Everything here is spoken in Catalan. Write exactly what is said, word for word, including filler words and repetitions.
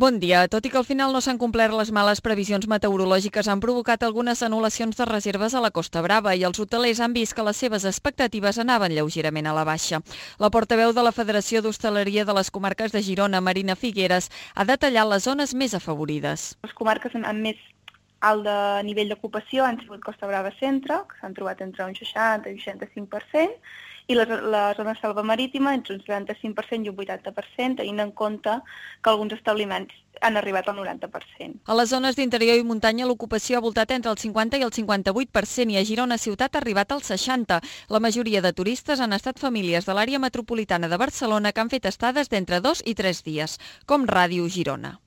Bon dia. Tot i que al final no s'han complert les males previsions meteorològiques, han provocat algunes anul·lacions de reserves a la Costa Brava i els hotelers han vist que les seves expectatives anaven lleugerament a la baixa. La portaveu de la Federació d'Hostaleria de les Comarques de Girona, Marina Figueres, ha detallat les zones més afavorides. Les comarques amb més alt de nivell d'ocupació han sigut Costa Brava Centre, que s'han trobat entre un seixanta i un seixanta-cinc per cent, i la, la zona selva marítima entre un setanta-cinc per cent i un vuitanta per cent, tenint en compte que alguns establiments han arribat al noranta per cent. A les zones d'interior i muntanya l'ocupació ha voltat entre el cinquanta i el cinquanta-vuit per cent i a Girona ciutat ha arribat al seixanta per cent. La majoria de turistes han estat famílies de l'àrea metropolitana de Barcelona que han fet estades d'entre dos i tres dies, com Ràdio Girona.